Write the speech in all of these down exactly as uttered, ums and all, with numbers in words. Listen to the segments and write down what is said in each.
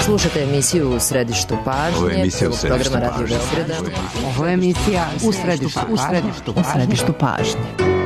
Slušate emisiju U središtu pažnje. Ovo je emisija U središtu programa Radio Beograda. Ovo je emisija U središtu, u središtu, u središtu pažnje.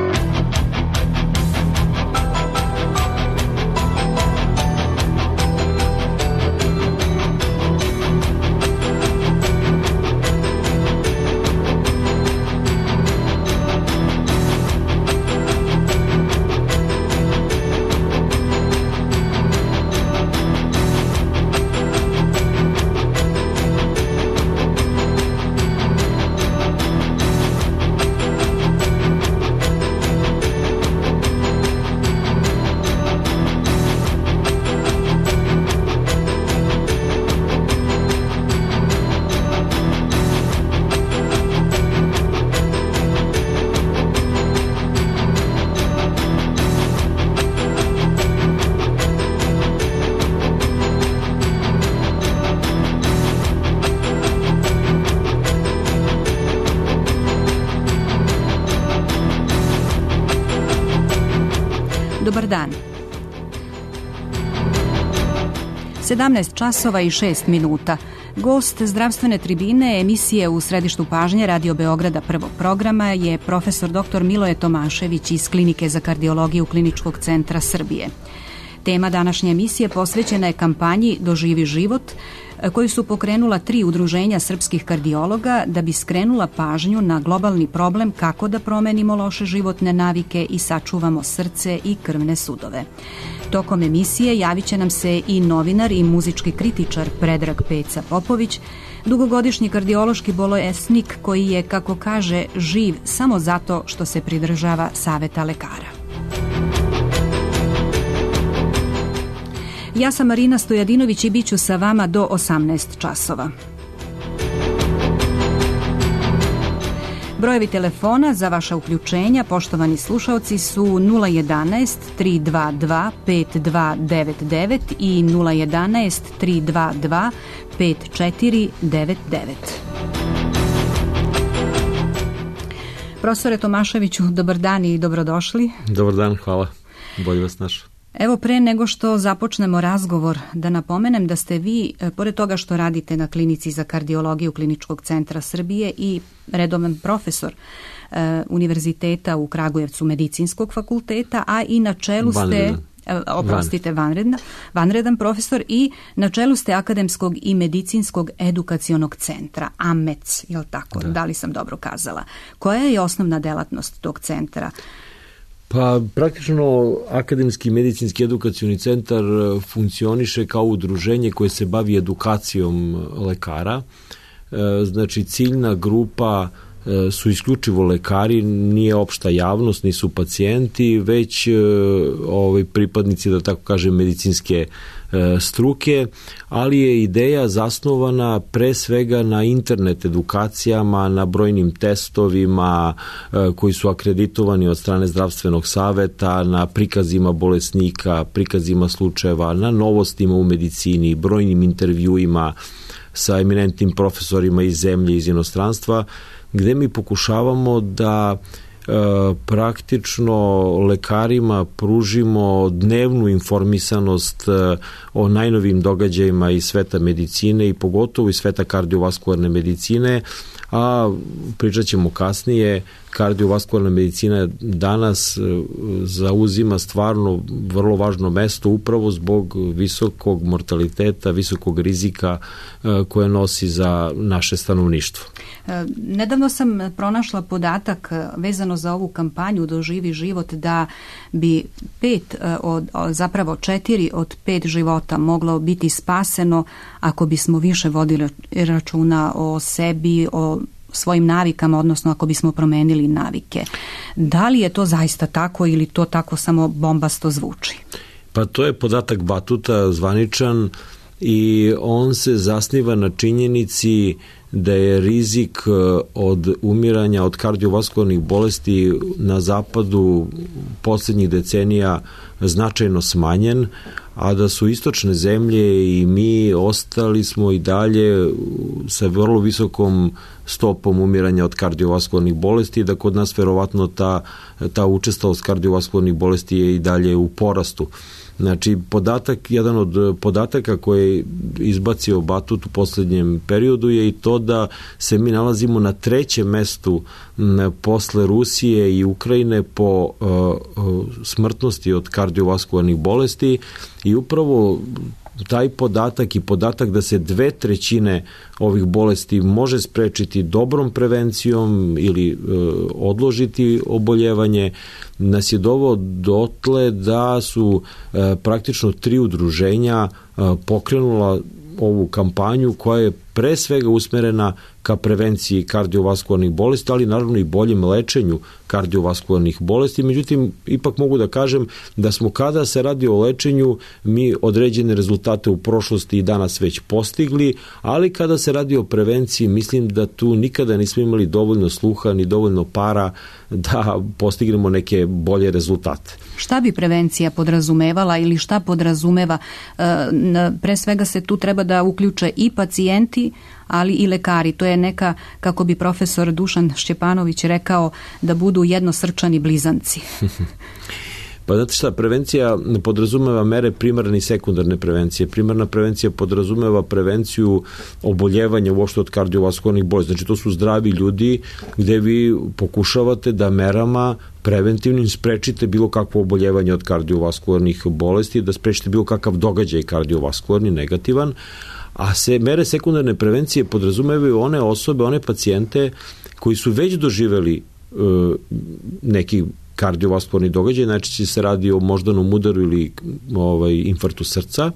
Dobar dan. sedamnaest časova i šest minuta. Gost zdravstvene tribine emisije U središtu pažnje Radio Beograda prvog programa je profesor doktor Miloje Tomašević iz Klinike za kardiologiju Kliničkog centra Srbije. Tema današnje emisije posvećena je kampanji Doživi život, koju su pokrenula tri udruženja srpskih kardiologa da bi skrenula pažnju na globalni problem kako da promenimo loše životne navike i sačuvamo srce i krvne sudove. Tokom emisije javit će nam se i novinar i muzički kritičar Predrag Peca Popović, dugogodišnji kardiološki bolesnik koji je, kako kaže, živ samo zato što se pridržava saveta lekara. Ja sam Marina Stojadinović i bit ću sa vama do osamnaest časova. Brojevi telefona za vaša uključenja, poštovani slušalci, su nula jedanaest tri dva dva pet dva devet devet i nula jedanaest tri dva dva pet četiri devet devet. Profesore Tomaševiću, dobar dan i dobrodošli. Dobar dan, hvala. Bolje vas našao. Evo, pre nego što započnemo razgovor, da napomenem da ste vi, pored toga što radite na Klinici za kardiologiju Kliničkog centra Srbije i redovan profesor e, Univerziteta u Kragujevcu Medicinskog fakulteta, a i na čelu ste, e, oprostite, vanredna, vanredan profesor i na čelu ste Akademskog i medicinskog edukacionog centra, A M E C, je li tako? Da. Da li sam dobro kazala? Koja je osnovna delatnost tog centra? Pa praktično Akademski medicinski edukacioni centar funkcioniše kao udruženje koje se bavi edukacijom lekara. Znači ciljna grupa su isključivo lekari, nije opšta javnost, nisu pacijenti, već ovaj, pripadnici, da tako kažem, medicinske struke, ali je ideja zasnovana pre svega na internet edukacijama, na brojnim testovima koji su akreditovani od strane zdravstvenog saveta, na prikazima bolesnika, prikazima slučajeva, na novostima u medicini, brojnim intervjuima sa eminentnim profesorima iz zemlje, iz inostranstva, gde mi pokušavamo da e, praktično lekarima pružimo dnevnu informisanost e, o najnovijim događajima iz sveta medicine i pogotovo iz sveta kardiovaskularne medicine, a pričat ćemo kasnije, kardiovaskularna medicina danas zauzima stvarno vrlo važno mesto upravo zbog visokog mortaliteta, visokog rizika koje nosi za naše stanovništvo. Nedavno sam pronašla podatak vezano za ovu kampanju Doživi život da bi pet od, zapravo četiri od pet života moglo biti spaseno ako bismo više vodili računa o sebi, o svojim navikama, odnosno ako bismo promenili navike. Da li je to zaista tako ili to tako samo bombasto zvuči? Pa to je podatak Batuta, zvaničan, i on se zasniva na činjenici da je rizik od umiranja od kardiovaskularnih bolesti na zapadu poslednjih decenija značajno smanjen, a da su istočne zemlje i mi ostali smo i dalje sa vrlo visokom stopom umiranja od kardiovaskularnih bolesti, da kod nas verovatno ta, ta učestalost kardiovaskularnih bolesti je i dalje u porastu. Znači, podatak, jedan od podataka koje je izbacio Batut u poslednjem periodu je i to da se mi nalazimo na trećem mestu posle Rusije i Ukrajine po uh, smrtnosti od kardiovaskularnih bolesti i upravo taj podatak i podatak da se dve trećine ovih bolesti može sprečiti dobrom prevencijom ili e, odložiti oboljevanje, nas je doveo dotle da su e, praktično tri udruženja e, pokrenula ovu kampanju koja je pre svega usmerena ka prevenciji kardiovaskularnih bolesti, ali naravno i boljem lečenju kardiovaskularnih bolesti. Međutim, ipak mogu da kažem da smo kada se radi o lečenju mi određene rezultate u prošlosti i danas već postigli, ali kada se radi o prevenciji mislim da tu nikada nismo imali dovoljno sluha ni dovoljno para da postignemo neke bolje rezultate. Šta bi prevencija podrazumevala ili šta podrazumeva? Pre svega se tu treba da uključe i pacijenti, ali i lekari. To je neka, kako bi profesor Dušan Šćepanović rekao, da budu jednosrčani blizanci. Pa znate šta, prevencija podrazumeva mere primarne i sekundarne prevencije. Primarna prevencija podrazumeva prevenciju oboljevanja uopšte od kardiovaskularnih bolesti. Znači to su zdravi ljudi gde vi pokušavate da merama preventivnim sprečite bilo kakvo oboljevanje od kardiovaskularnih bolesti, da sprečite bilo kakav događaj kardiovaskularni, negativan, a se mere sekundarne prevencije podrazumevaju one osobe, one pacijente koji su već doživeli e, neki kardiovaskularni događaj, najčešće se radi o moždanom udaru ili ovaj, infarktu srca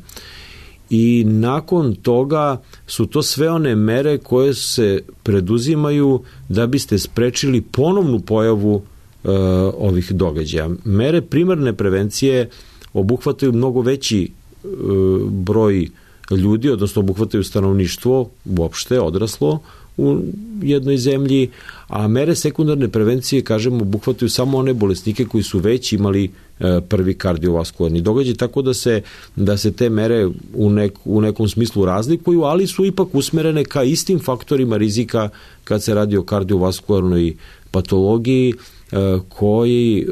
i nakon toga su to sve one mere koje se preduzimaju da biste sprečili ponovnu pojavu e, ovih događaja. Mere primarne prevencije obuhvataju mnogo veći e, broj ljudi, odnosno obuhvataju stanovništvo uopšte, odraslo u jednoj zemlji, a mere sekundarne prevencije, kažemo, obuhvataju samo one bolesnike koji su već imali e, prvi kardiovaskularni događaj, tako da se, da se te mere u, nek, u nekom smislu razlikuju, ali su ipak usmerene ka istim faktorima rizika kad se radi o kardiovaskularnoj patologiji, koji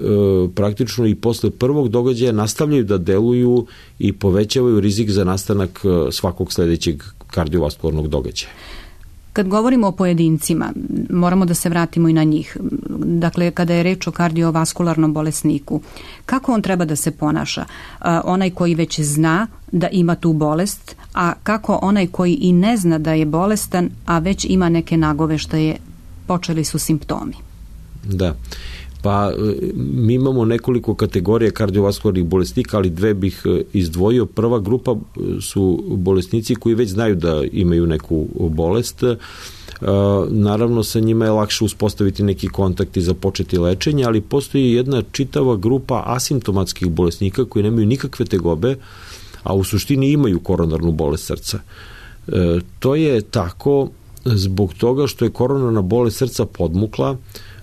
praktično i posle prvog događaja nastavljaju da deluju i povećavaju rizik za nastanak svakog sledećeg kardiovaskularnog događaja. Kad govorimo o pojedincima, moramo da se vratimo i na njih. Dakle, kada je reč o kardiovaskularnom bolesniku, kako on treba da se ponaša? Onaj koji već zna da ima tu bolest, a kako onaj koji i ne zna da je bolestan, a već ima neke nagoveštaje, počeli su simptomi? Da, pa mi imamo nekoliko kategorija kardiovaskularnih bolesnika, ali dve bih izdvojio. Prva grupa su bolesnici koji već znaju da imaju neku bolest. Naravno, sa njima je lakše uspostaviti neki kontakt i započeti lečenje, ali postoji jedna čitava grupa asimptomatskih bolesnika koji nemaju nikakve tegobe, a u suštini imaju koronarnu bolest srca. To je tako zbog toga što je koronarna bolest srca podmukla.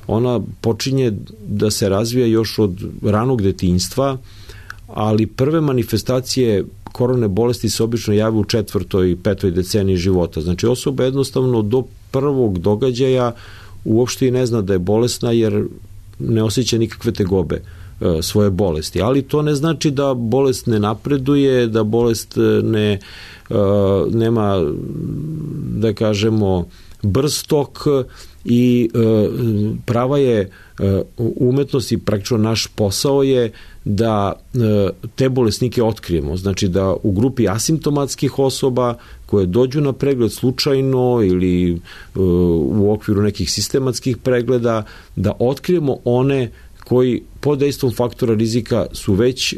Ona počinje da se razvija još od ranog detinjstva, ali prve manifestacije koronarne bolesti se obično jave u četvrtoj i petoj deceniji života. Znači osoba jednostavno do prvog događaja uopšte i ne zna da je bolesna jer ne osjeća nikakve tegobe e, svoje bolesti. Ali to ne znači da bolest ne napreduje, da bolest ne, e, nema, da kažemo, brz tok i e, prava je e, umetnost i praktično naš posao je da e, te bolesnike otkrijemo. Znači da u grupi asimptomatskih osoba koje dođu na pregled slučajno ili e, u okviru nekih sistematskih pregleda, da otkrijemo one koji pod dejstvom faktora rizika su već e,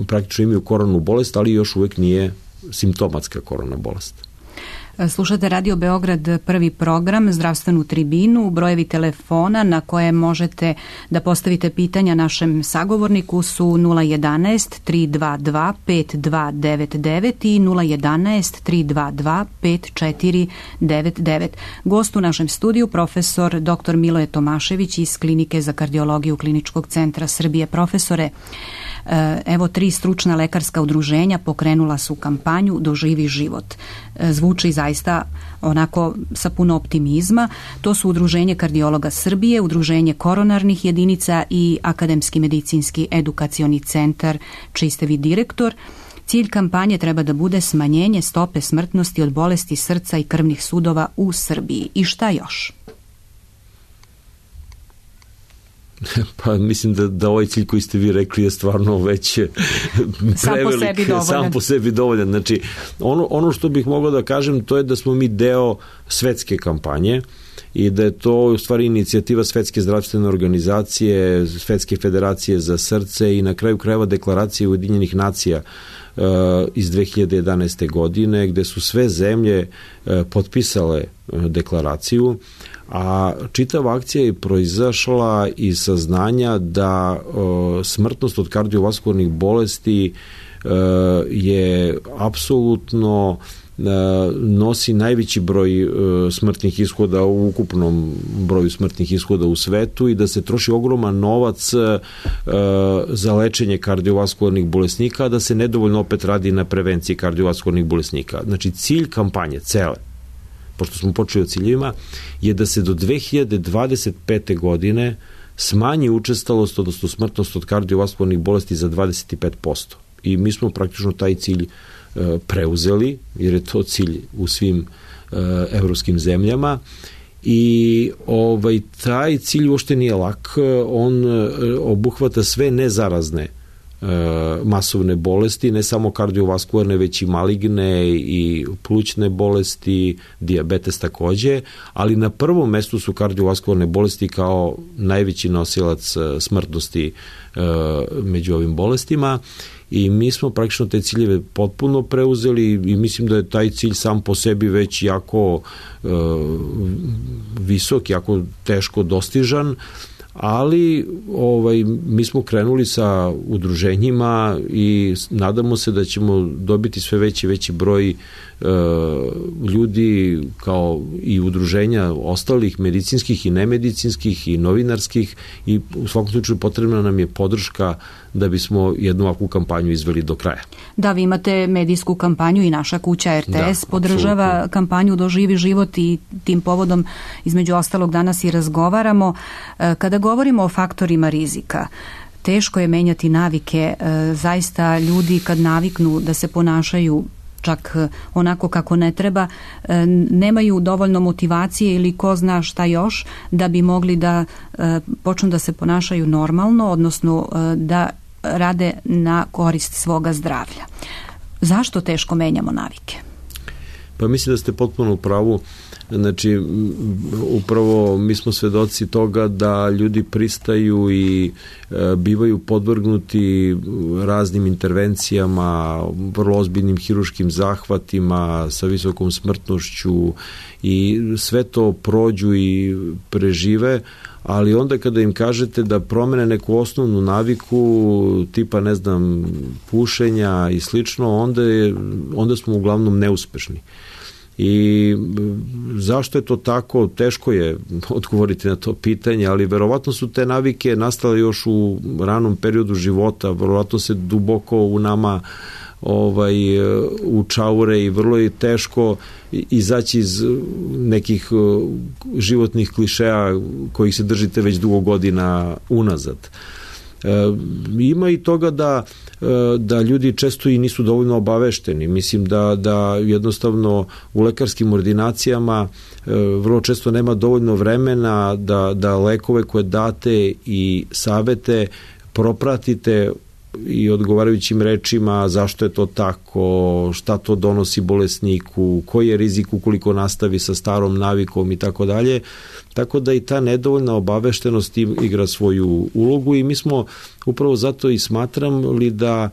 praktično imaju koronarnu bolest, ali još uvek nije simptomatska koronarna bolest. Slušate Radio Beograd, prvi program, zdravstvenu tribinu. Brojevi telefona na koje možete da postavite pitanja našem sagovorniku su nula jedanaest tri dva dva pet dva devet devet i nula jedanaest tri dva dva pet četiri devet devet. Gost u našem studiju profesor doktor Miloje Tomašević iz Klinike za kardiologiju Kliničkog centra Srbije. Profesore, evo tri stručna lekarska udruženja pokrenula su kampanju Doživi život. Zvuči zaista onako sa puno optimizma. To su Udruženje kardiologa Srbije, Udruženje koronarnih jedinica i Akademski medicinski edukacioni centar, čiji ste vi direktor. Cilj kampanje treba da bude smanjenje stope smrtnosti od bolesti srca i krvnih sudova u Srbiji. I šta još? Pa mislim da, da ovaj cilj koji ste vi rekli je stvarno već prevelik, sam po sebi dovoljan. Sam po sebi dovoljan. Znači, ono, ono što bih mogao da kažem, to je da smo mi deo svetske kampanje i da je to u stvari inicijativa Svetske zdravstvene organizacije, Svetske federacije za srce i na kraju krajeva deklaracije Ujedinjenih nacija uh, iz dve hiljade jedanaeste. godine, gde su sve zemlje uh, potpisale uh, deklaraciju, a čitava akcija je proizašla iz saznanja da uh, smrtnost od kardiovaskularnih bolesti uh, je apsolutno nosi najveći broj smrtnih ishoda u ukupnom broju smrtnih ishoda u svetu i da se troši ogroman novac za lečenje kardiovaskularnih bolesnika, a da se nedovoljno opet radi na prevenciji kardiovaskularnih bolesnika. Znači, cilj kampanje cele, pošto smo počeli o ciljevima, je da se do dve hiljade dvadeset pete. godine smanji učestalost, odnosno smrtnost od kardiovaskularnih bolesti za dvadeset pet posto. I mi smo praktično taj cilj preuzeli, jer je to cilj u svim uh, evropskim zemljama i ovaj, taj cilj uopšte nije lak, on uh, obuhvata sve nezarazne uh, masovne bolesti, ne samo kardiovaskularne, već i maligne i plućne bolesti, dijabetes takođe, ali na prvom mestu su kardiovaskularne bolesti kao najveći nosilac uh, smrtnosti uh, među ovim bolestima. I mi smo praktično te ciljeve potpuno preuzeli i mislim da je taj cilj sam po sebi već jako e, visok, jako teško dostižan, ali ovaj, mi smo krenuli sa udruženjima i nadamo se da ćemo dobiti sve veći veći broj e, ljudi kao i udruženja ostalih medicinskih i nemedicinskih i novinarskih i u svakom slučaju potrebna nam je podrška da bismo jednu ovakvu kampanju izveli do kraja. Da, vi imate medijsku kampanju i naša kuća R T S da, podržava apsolutno kampanju Doživi život i tim povodom između ostalog danas i razgovaramo. Kada govorimo o faktorima rizika, teško je menjati navike. Zaista ljudi kad naviknu da se ponašaju čak onako kako ne treba, nemaju dovoljno motivacije ili ko zna šta još da bi mogli da počnu da se ponašaju normalno, odnosno da rade na korist svoga zdravlja. Zašto teško menjamo navike? Pa mislim da ste potpuno u pravu. Znači, upravo mi smo svedoci toga da ljudi pristaju i e, bivaju podvrgnuti raznim intervencijama, vrlo ozbiljnim hiruškim zahvatima sa visokom smrtnošću i sve to prođu i prežive, ali onda kada im kažete da promene neku osnovnu naviku tipa, ne znam, pušenja i slično, onda, je, onda smo uglavnom neuspešni. I zašto je to tako? Teško je odgovoriti na to pitanje, ali verovatno su te navike nastale još u ranom periodu života, verovatno se duboko u nama ovaj, učaure i vrlo je teško izaći iz nekih životnih klišeja kojih se držite već dugo godina unazad. E, ima i toga da da ljudi često i nisu dovoljno obavešteni. Mislim da, da jednostavno u lekarskim ordinacijama e, vrlo često nema dovoljno vremena da, da lekove koje date i savete propratite i odgovarajućim rečima zašto je to tako, šta to donosi bolesniku, koji je rizik ukoliko nastavi sa starom navikom i tako dalje. Tako da i ta nedovoljna obaveštenost igra svoju ulogu i mi smo upravo zato i smatrali da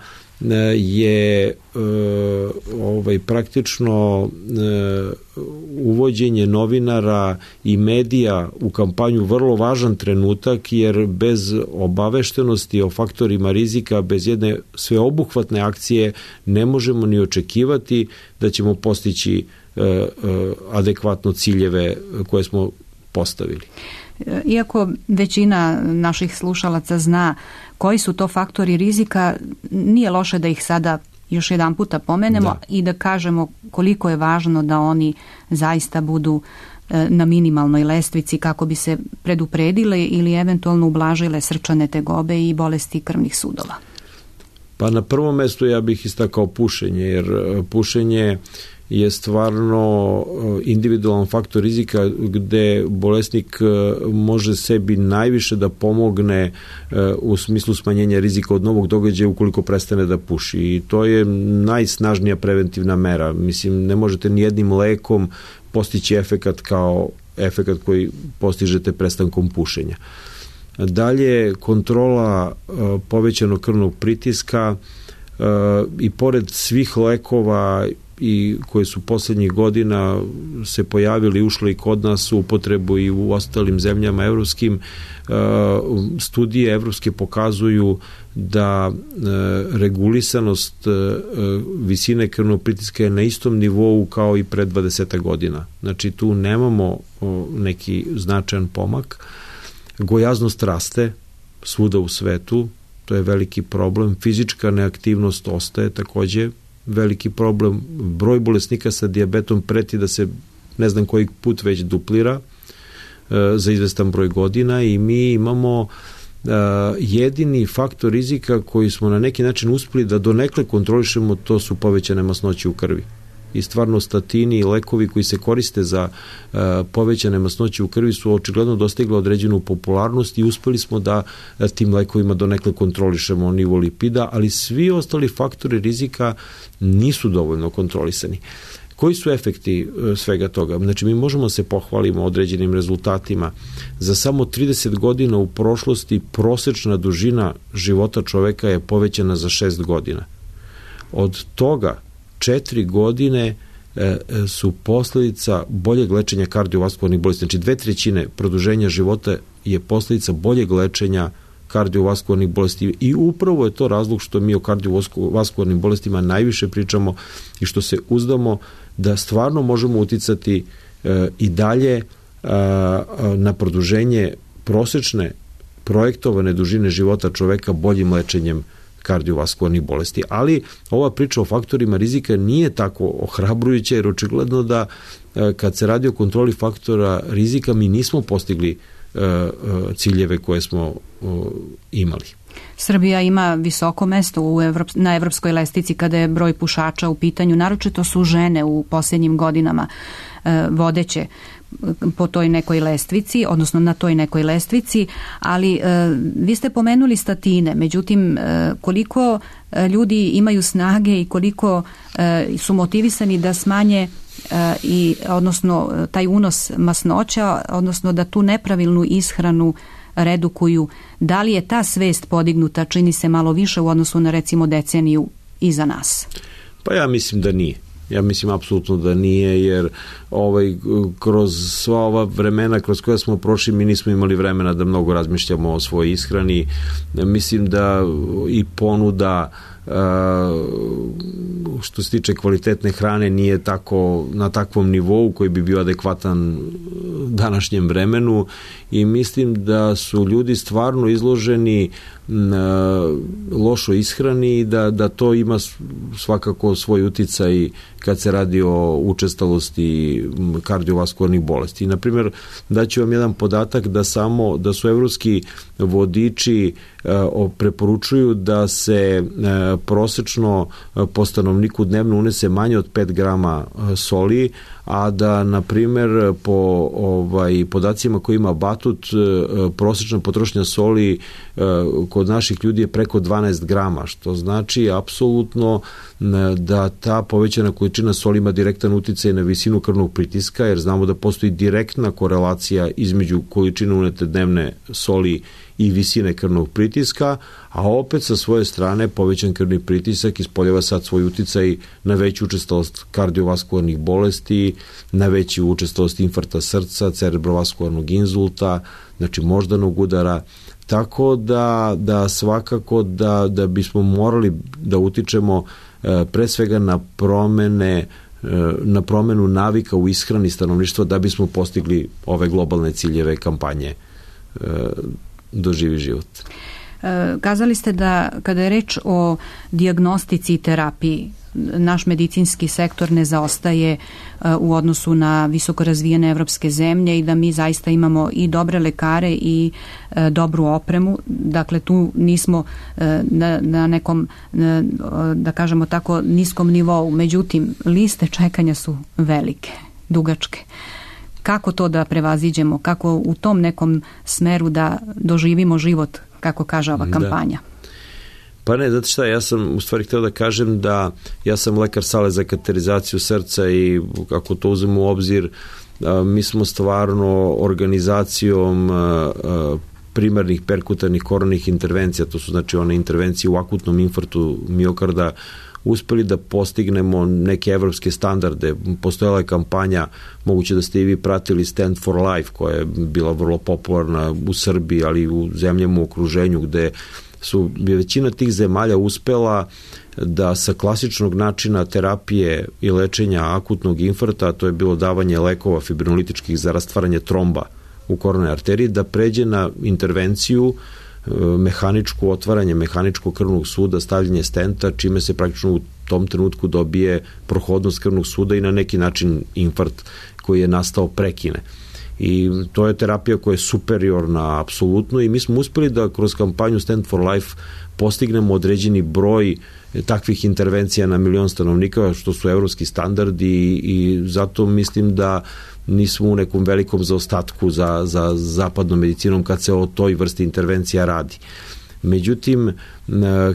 je ovaj, praktično uvođenje novinara i medija u kampanju vrlo važan trenutak, jer bez obaveštenosti o faktorima rizika, bez jedne sveobuhvatne akcije ne možemo ni očekivati da ćemo postići adekvatno ciljeve koje smo postavili. Iako većina naših slušalaca zna koji su to faktori rizika, nije loše da ih sada još jedan puta pomenemo da. I da kažemo koliko je važno da oni zaista budu na minimalnoj lestvici kako bi se predupredile ili eventualno ublažile srčane tegobe i bolesti krvnih sudova. Pa na prvom mestu ja bih istakao pušenje, jer pušenje je stvarno individualan faktor rizika gde bolesnik može sebi najviše da pomogne u smislu smanjenja rizika od novog događaja ukoliko prestane da puši. I to je najsnažnija preventivna mera. Mislim, ne možete ni jednim lekom postići efekat kao efekat koji postižete prestankom pušenja. Dalje, kontrola povećanog krvnog pritiska i pored svih lekova i koje su poslednjih godina se pojavili i ušli i kod nas u upotrebu i u ostalim zemljama evropskim, studije evropske pokazuju da regulisanost visine krvnog pritiska je na istom nivou kao i pre dvadeset godina. Znači tu nemamo neki značajan pomak. Gojaznost raste svuda u svetu, to je veliki problem. Fizička neaktivnost ostaje takođe veliki problem. Broj bolesnika sa dijabetom preti da se ne znam koji put već duplira za izvestan broj godina i mi imamo jedini faktor rizika koji smo na neki način uspeli da donekle kontrolišemo, to su povećane masnoće u krvi. I stvarno statini i lekovi koji se koriste za uh, povećane masnoće u krvi su očigledno dostigli određenu popularnost i uspeli smo da uh, tim lekovima donekle kontrolišemo nivo lipida, ali svi ostali faktori rizika nisu dovoljno kontrolisani. Koji su efekti uh, svega toga? Znači, mi možemo se pohvalimo određenim rezultatima. Za samo trideset godina u prošlosti prosečna dužina života čoveka je povećana za šest godina. Od toga četiri godine e, su posledica boljeg lečenja kardiovaskularnih bolesti. Znači dve trećine produženja života je posledica boljeg lečenja kardiovaskularnih bolesti i upravo je to razlog što mi o kardiovaskularnim bolestima najviše pričamo i što se uzdamo da stvarno možemo uticati e, i dalje e, na produženje prosečne projektovane dužine života čoveka boljim lečenjem kardiovaskularnih bolesti. Ali ova priča o faktorima rizika nije tako ohrabrujuća, jer očigledno da kad se radi o kontroli faktora rizika mi nismo postigli ciljeve koje smo imali. Srbija ima visoko mesto u Evrop, na evropskoj lestvici kada je broj pušača u pitanju, naročito su žene u posljednjim godinama e, vodeće po toj nekoj lestvici, odnosno na toj nekoj lestvici, ali e, vi ste pomenuli statine, međutim e, koliko e, ljudi imaju snage i koliko e, su motivisani da smanje e, i odnosno taj unos masnoća, odnosno da tu nepravilnu ishranu redukuju, da li je ta svest podignuta, čini se malo više u odnosu na recimo deceniju iza nas? Pa ja mislim da nije. Ja mislim apsolutno da nije, jer ovaj, kroz sva ova vremena kroz koja smo prošli mi nismo imali vremena da mnogo razmišljamo o svojoj ishrani. Mislim da i ponuda što se tiče kvalitetne hrane nije tako na takvom nivou koji bi bio adekvatan današnjem vremenu i mislim da su ljudi stvarno izloženi lošoj ishrani i da, da to ima svakako svoj uticaj kad se radi o učestalosti kardiovaskularnih bolesti. I, na primjer, daću vam jedan podatak da samo da su evropski vodiči preporučuju da se prosečno po stanovniku dnevno unese manje od pet grama soli, a da, na primjer, po ovaj, podacima koji ima Batut, prosečna potrošnja soli kod naših ljudi je preko dvanaest grama, što znači apsolutno da ta povećana količina soli ima direktan uticaj na visinu krvnog pritiska, jer znamo da postoji direktna korelacija između količine unete dnevne soli i visine krvnog pritiska, a opet sa svoje strane povećan krvni pritisak ispoljava sad svoj uticaj na veću učestalost kardiovaskularnih bolesti, na veću učestalost infarkta srca, cerebrovaskularnog inzulta, znači moždanog udara, tako da, da svakako da, da bismo morali da utičemo e, pre svega na promene na promenu navika u ishrani stanovništva da bismo postigli ove globalne ciljeve kampanje e, Doživi život. E, kazali ste da kada je reč o dijagnostici i terapiji, naš medicinski sektor ne zaostaje u odnosu na visoko razvijene evropske zemlje i da mi zaista imamo i dobre lekare i dobru opremu. Dakle, tu nismo na, na nekom, da kažemo tako, niskom nivou. Međutim, liste čekanja su velike, dugačke. Kako to da prevaziđemo? Kako u tom nekom smeru da doživimo život, kako kaže ova kampanja? Da. Pa ne, zato šta, ja sam u stvari htio da kažem da ja sam lekar sale za kateterizaciju srca i ako to uzmemo u obzir, mi smo stvarno organizacijom primarnih perkutarnih koronarnih intervencija, to su znači one intervencije u akutnom infarktu miokarda, uspeli da postignemo neke evropske standarde. Postojala je kampanja, moguće da ste i vi pratili Stand for Life, koja je bila vrlo popularna u Srbiji, ali i u zemljama u okruženju, gde su većina tih zemalja uspela da sa klasičnog načina terapije i lečenja akutnog infarkta, to je bilo davanje lekova fibrinolitičkih za rastvaranje tromba u koronarnoj arteriji, da pređe na intervenciju mehaničko otvaranje mehaničkog krvnog suda, stavljanje stenta, čime se praktično u tom trenutku dobije prohodnost krvnog suda i na neki način infarkt koji je nastao prekine. I to je terapija koja je superiorna apsolutno i mi smo uspeli da kroz kampanju Stand for Life postignemo određeni broj takvih intervencija na milion stanovnika, što su evropski standardi i zato mislim da nismo u nekom velikom zaostatku za, za zapadnom medicinom kad se o toj vrsti intervencija radi. Međutim,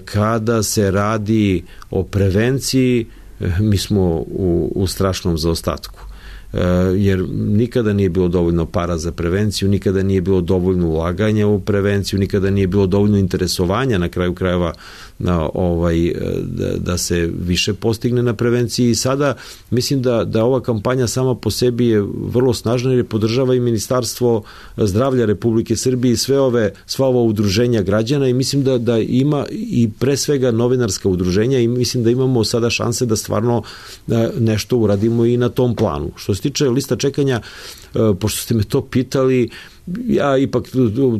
kada se radi o prevenciji, mi smo u, u strašnom zaostatku. Jer nikada nije bilo dovoljno para za prevenciju, nikada nije bilo dovoljno ulaganja u prevenciju, nikada nije bilo dovoljno interesovanja na kraju krajeva na ovaj, da, da se više postigne na prevenciji i sada mislim da, da ova kampanja sama po sebi je vrlo snažna jer podržava i Ministarstvo zdravlja Republike Srbije i sve ove, sva ova udruženja građana i mislim da, da ima i pre svega novinarska udruženja i mislim da imamo sada šanse da stvarno nešto uradimo i na tom planu. Što se tiče lista čekanja, pošto ste me to pitali, ja ipak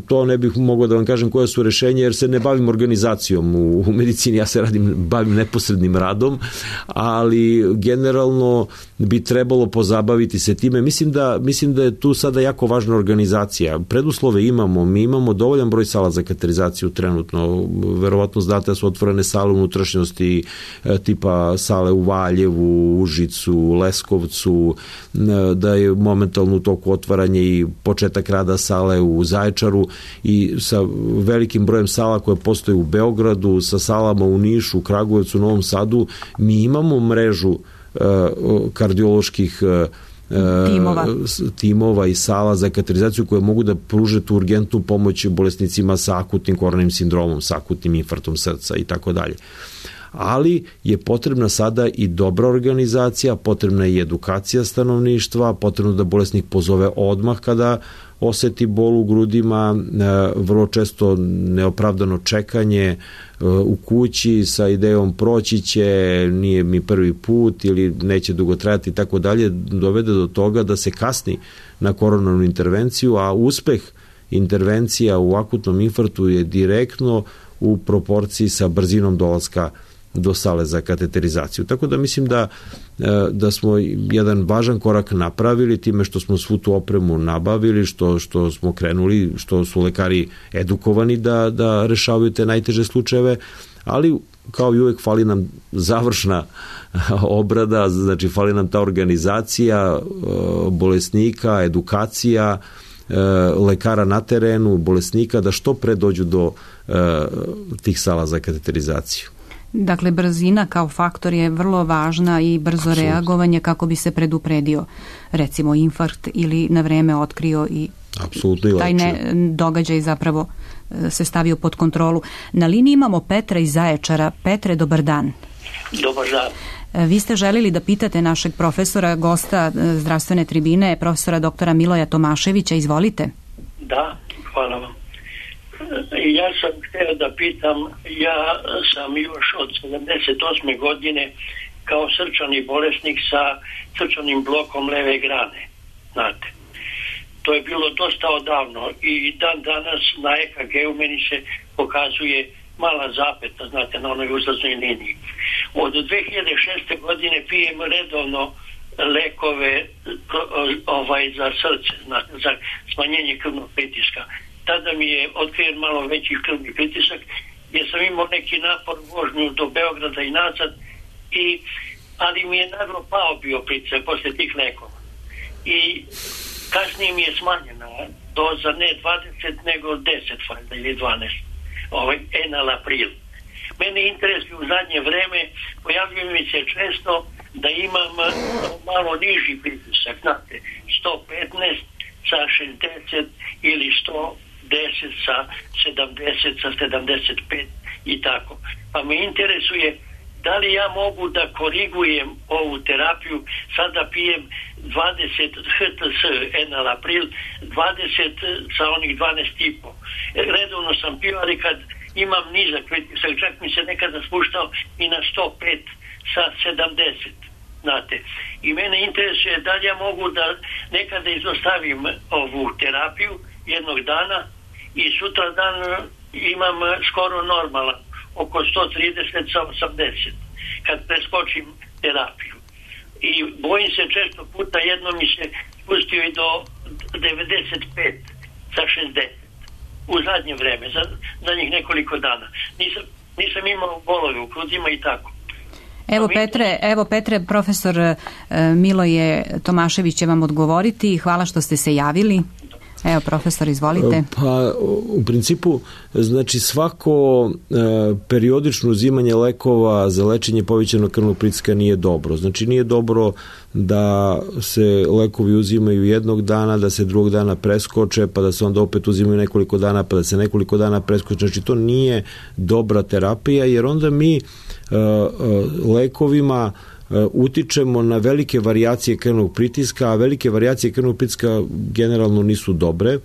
to ne bih mogao da vam kažem koja su rešenja jer se ne bavim organizacijom u, u medicini, ja se radim, bavim neposrednim radom, ali generalno bi trebalo pozabaviti se time. Mislim da, mislim da je tu sada jako važna organizacija. Preduslove imamo, mi imamo dovoljan broj sala za kateterizaciju trenutno, verovatno znate da su otvorene sale unutrašnjosti tipa sale u Valjevu, Užicu, Leskovcu, da je momentalno u toku otvaranje i početak rada sale u Zaječaru i sa velikim brojem sala koje postoje u Beogradu, sa salama u Nišu, Kragujevcu, Novom Sadu, mi imamo mrežu uh, kardioloških uh, timova. timova i sala za kateterizaciju koje mogu da pruže tu urgentnu pomoć bolesnicima sa akutnim koronarnim sindromom, sa akutnim infarktom srca i tako dalje. Ali je potrebna sada i dobra organizacija, potrebna je i edukacija stanovništva, potrebno da bolesnik pozove odmah kada oseti bol u grudima, vrlo često neopravdano čekanje u kući sa idejom proći će, nije mi prvi put ili neće dugo trajati i tako dalje, dovede do toga da se kasni na koronarnu intervenciju, a uspeh intervencija u akutnom infarktu je direktno u proporciji sa brzinom dolaska do sale za kateterizaciju. Tako da mislim da, da smo jedan važan korak napravili time što smo svu tu opremu nabavili, što, što smo krenuli, što su lekari edukovani da, da rešavaju te najteže slučajeve, ali kao i uvek fali nam završna obrada, znači fali nam ta organizacija bolesnika, edukacija, lekara na terenu, bolesnika, da što pre dođu do tih sala za kateterizaciju. Dakle, brzina kao faktor je vrlo važna i brzo Absolutno. reagovanje kako bi se predupredio, recimo, infarkt ili na vreme otkrio i Apsolutno taj ne, događaj zapravo se stavio pod kontrolu. Na liniji imamo Petra iz Zaječara. Petre, dobar dan. Dobar dan. Vi ste želili da pitate našeg profesora, gosta zdravstvene tribine, profesora doktora Miloja Tomaševića. Izvolite. Da, hvala vam. Ja sam htio da pitam, ja sam još od sedamdeset osme godine kao srčani bolesnik sa srčanim blokom leve grane, znate. To je bilo dosta odavno i dan danas na E K G-u meni se pokazuje mala zapeta, znate, na onoj uzlaznoj liniji. Od dve hiljade šeste. godine pijem redovno lekove ovaj, za srce, znate, za smanjenje krvnog pritiska. Tada mi je otkriven malo veći krvni pritisak, jer sam imao neki napor vožnju do Beograda i nazad, i, ali mi je naglo pao bio pritisak posle tih lekova. I kasnije mi je smanjena doza, ne dvadeset nego deset valjda ili dvanaest, ovaj enalapril. Mene interesuje u zadnje vreme, pojavljuje mi se često da imam malo niži pritisak, znate, sto petnaest sa šezdeset ili sto deset sa sedamdeset, sa sedamdeset pet i tako. Pa me interesuje da li ja mogu da korigujem ovu terapiju. Sada pijem dvadeset H T S enalapril, dvadeset sa onih dvanaest i po. Redovno sam pio, ali kad imam nizak pritisak, čak mi se nekada spuštao i na sto pet sa sedamdeset. Znate, i mene interesuje da li ja mogu da nekada izostavim ovu terapiju jednog dana i sutra dan imam skoro normalan, oko sto trideset sa osamdeset, kad preskočim terapiju. I bojim se, često puta jedno mi se spustio i do devedeset pet sa šezdeset u zadnje vreme, za, za njih nekoliko dana. Nisam, nisam imao bolove u grudima i tako. Evo Petre, evo Petre, profesor Miloje Tomašević će vam odgovoriti. Hvala što ste se javili. Evo, profesor, izvolite. Pa, u principu, znači svako e, periodično uzimanje lekova za lečenje povećanog krvnog pritiska nije dobro. Znači nije dobro da se lekovi uzimaju jednog dana, da se drugog dana preskoče, pa da se onda opet uzimaju nekoliko dana, pa da se nekoliko dana preskoče. Znači to nije dobra terapija, jer onda mi e, e, lekovima utičemo na velike varijacije krvnog pritiska, a velike varijacije krvnog pritiska generalno nisu dobre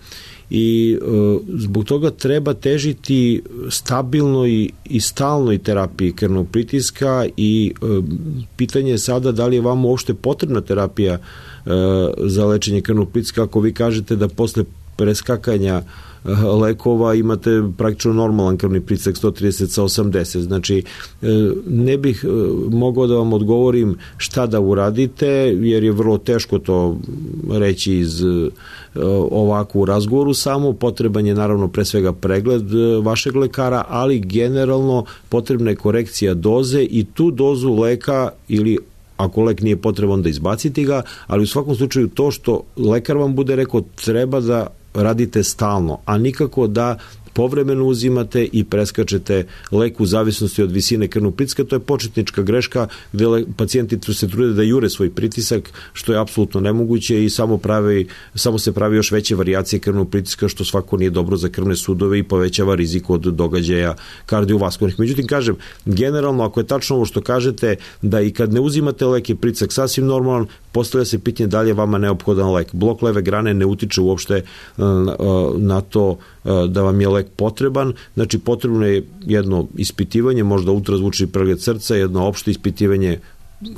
i e, zbog toga treba težiti stabilnoj i, i stalnoj terapiji krvnog pritiska i e, pitanje je sada da li je vam uopšte potrebna terapija e, za lečenje krvnog pritiska, ako vi kažete da posle preskakanja lekova imate praktično normalan krvni pritisak sto trideset sa osamdeset. Znači, ne bih mogao da vam odgovorim šta da uradite, jer je vrlo teško to reći iz ovako u razgovoru, samo potreban je naravno pre svega pregled vašeg lekara, ali generalno potrebna je korekcija doze i tu dozu leka ili ako lek nije potreban da izbacite ga, ali u svakom slučaju to što lekar vam bude rekao treba da radite stalno, a nikako da povremeno uzimate i preskačete lek u zavisnosti od visine krvnog pritiska. To je početnička greška gde pacijenti se trude da jure svoj pritisak, što je apsolutno nemoguće i samo, pravi, samo se pravi još veće varijacije krvnog pritiska, što svako nije dobro za krvne sudove i povećava rizik od događaja kardiovaskularnih. Međutim, kažem, generalno, ako je tačno ovo što kažete, da i kad ne uzimate lek je pritisak sasvim normalan, postavlja se pitanje da li je vama neophodan lek. Blok leve grane ne utiče uopšte na to da vam je lek potreban, znači potrebno je jedno ispitivanje, možda ultrazvučni pregled srca, jedno opšte ispitivanje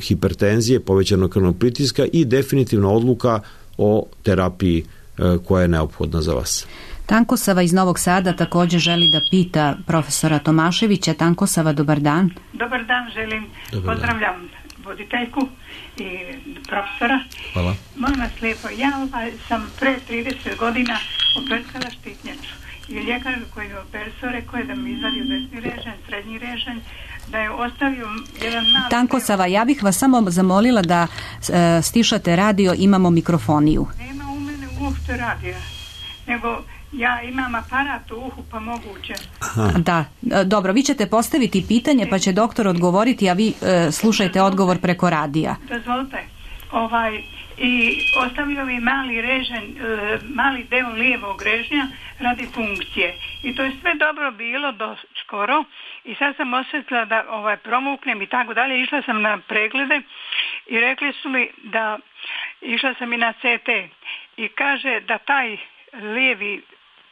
hipertenzije, povećanog krvnog pritiska i definitivna odluka o terapiji koja je neophodna za vas. Tankosava iz Novog Sada također želi da pita profesora Tomaševića. Tankosava, dobar dan. Dobar dan, želim. Dobar Pozdravljam dan. Voditeljku i profesora. Hvala. Molim vas lijepo, ja ovaj, sam pre trideset godina opercala štitnjaču i ljekar koji je opercao rekao je da mi izvadio desni režanj, srednji režanj, da je ostavio jedan mali... Tankosava, ja bih vas samo zamolila da e, stišate radio, imamo mikrofoniju. Nema u mene uopšte radija, nego Ja imam aparat u uhu, pa moguće. Aha. Da, dobro, vi ćete postaviti pitanje, pa će doktor odgovoriti, a vi e, slušajte odgovor preko radija. Dozvolite. Ovaj, i ostavio mi mali režen, e, mali deo lijevog režnja radi funkcije. I to je sve dobro bilo do skoro. I sad sam osjetila da ovaj, promuknem i tako dalje. Išla sam na preglede i rekli su mi da, išla sam i na C T. I kaže da taj lijevi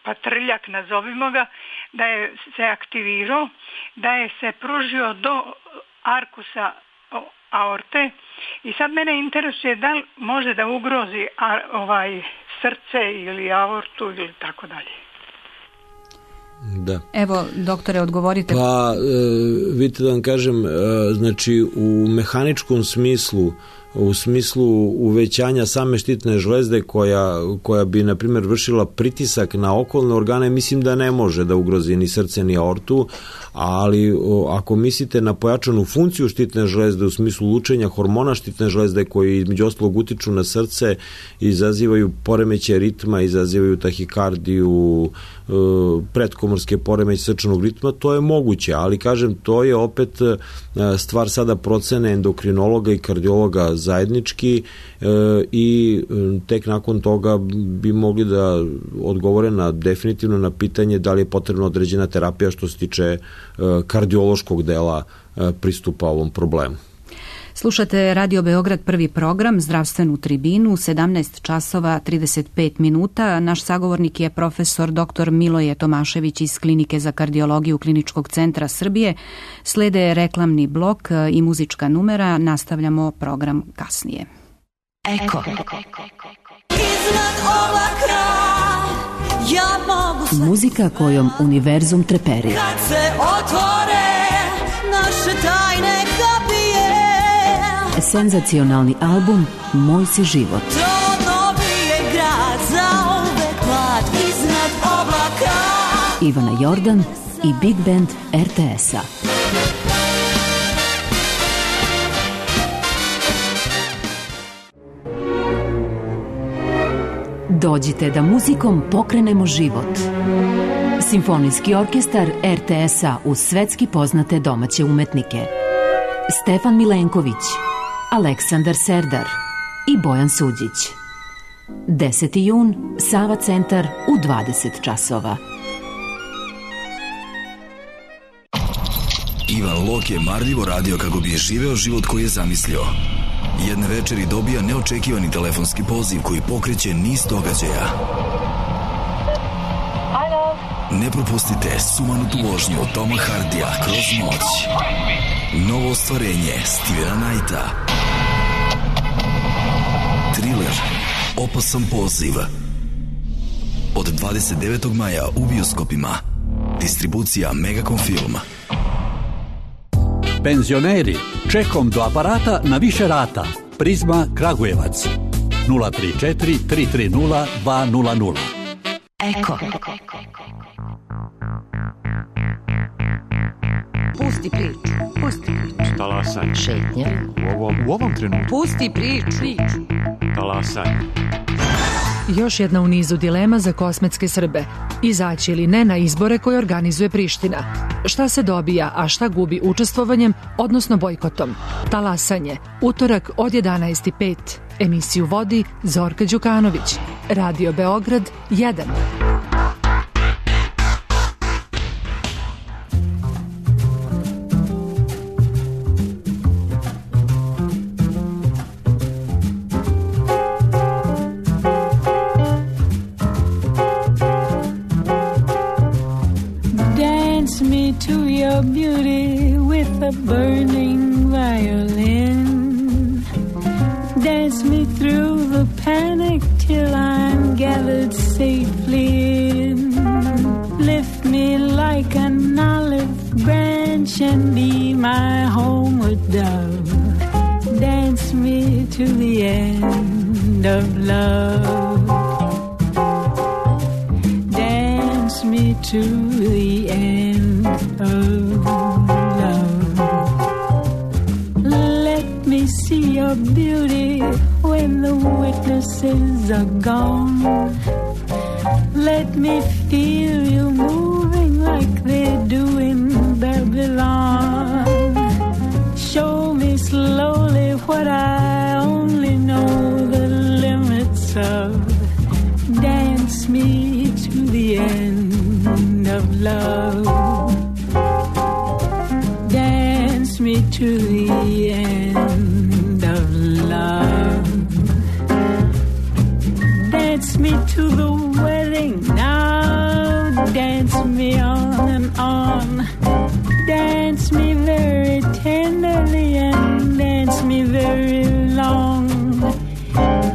patrljak, nazovimo ga, da je se aktivirao, da je se pružio do arkusa aorte. I sad mene interesuje da li može da ugrozi a, ovaj, srce ili aortu ili tako dalje. Da. Evo, doktore, odgovorite. Pa, e, vidite da vam kažem, e, znači u mehaničkom smislu, u smislu uvećanja same štitne žlezde koja, koja bi, na primjer, vršila pritisak na okolne organe, mislim da ne može da ugrozi ni srce ni aortu, ali o, ako mislite na pojačanu funkciju štitne žlezde u smislu lučenja hormona štitne žlezde koji između ostalog utiču na srce, izazivaju poremeće ritma, izazivaju tahikardiju, e, pretkomorske poremeće srčanog ritma, to je moguće, ali kažem, to je opet stvar sada procene endokrinologa i kardiologa zajednički e, i tek nakon toga bi mogli da odgovore na definitivno na pitanje da li je potrebna određena terapija što se tiče e, kardiološkog dela e, pristupa ovom problemu. Slušate Radio Beograd, prvi program, zdravstvenu tribinu, sedamnaest časova trideset pet minuta. Naš sagovornik je profesor doktor Miloje Tomašević iz Klinike za kardiologiju Kliničkog centra Srbije. Slede reklamni blok i muzička numera. Nastavljamo program kasnije. Eko. Iznad oblaka ja mogu... Muzika kojom univerzum treperi. Kad se otvore naše tajne kapije. Senzacionalni album Moj si život. Trodno bije grad za uvek mlad iznad oblaka. Ivana Jordan i Big Band R T S-a. Dođite da muzikom pokrenemo život. Simfonijski orkestar R T S-a uz svetski poznate domaće umetnike. Stefan Milenković, Aleksandar Serdar i Bojan Suđić. deseti jun, Sava centar u dvadeset časova. Ivan Lok je marljivo radio kako bi je živeo život koji je zamislio. Jedne večeri dobija neočekivani telefonski poziv koji pokreće niz događaja. Ne propustite sumanutu vožnju Toma Hardija kroz noć. Novo ostvarenje Stevena Knighta. Thriller Opasan poziv. Od dvadeset devetog maja u bioskopima. Distribucija Megacom Film. Penzioneri, čekom do aparata na više rata. Prizma Kragujevac. nula tri četiri tri tri nula dva nula nula. Eko. Pusti priču. Pusti priču. Talasanje. Šetnja. U ovom, u ovom trenutku. Pusti priču. priču. Talasanje. Još jedna u nizu dilema za kosmetske Srbe. Izaći ili ne na izbore koje organizuje Priština. Šta se dobija, a šta gubi učestvovanjem, odnosno bojkotom? Talasanje. Utorak od jedanaest i pet. Emisiju vodi Zorka Đukanović. Radio Beograd jedan. To your beauty with a burning violin. Dance me through the panic till I'm gathered safely in. Lift me like an olive branch and be my homeward dove. Dance me to the end of love. Dance me to the end of love. Let me see your beauty when the witnesses are gone. Let me feel you moving like they do in Babylon. Show me slowly what I only know the limits of. Dance me to the end of love. Dance me to the end of love. Dance me to the wedding now. Dance me on and on. Dance me very tenderly and dance me very long.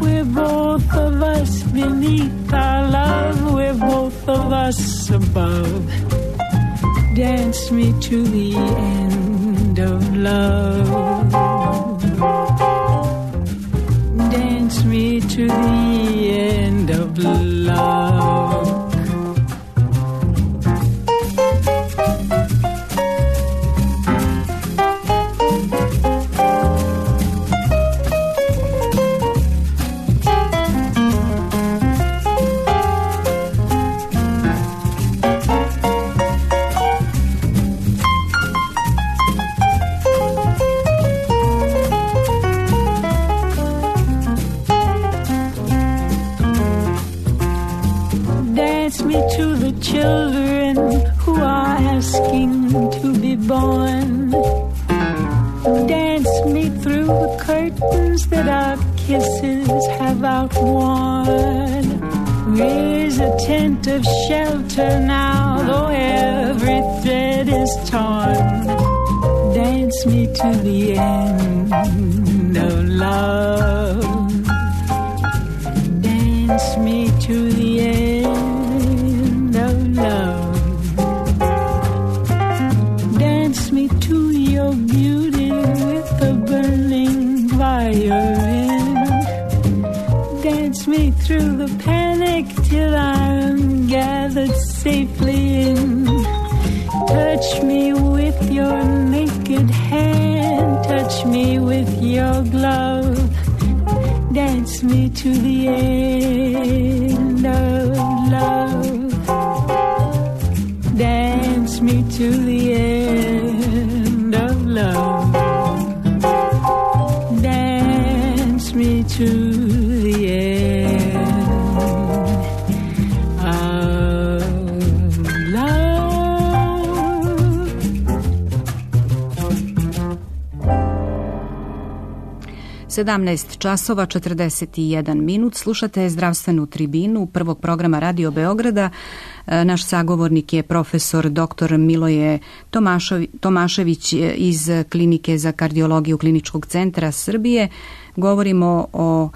We're both of us beneath our love. We're both of us above. Dance me to the end of love. Dance me to the end of love. Children who are asking to be born. Dance me through the curtains that our kisses have outworn. Raise a tent of shelter now, though every thread is torn. Dance me to the end of love. Dance me to the end of love. Dance me to your beauty with a burning violin. Dance me through the panic till I'm gathered safely in. Touch me with your naked hand. Touch me with your glove. Dance me to the end of love. Dance me to the end of love. Dance me to the end of love. sedamnaest časova četrdeset jedan minut. Slušate zdravstvenu tribinu prvog programa Radio Beograda. Naš sagovornik je profesor doktor Miloje Tomašević iz Klinike za kardiologiju Kliničkog centra Srbije. Govorimo o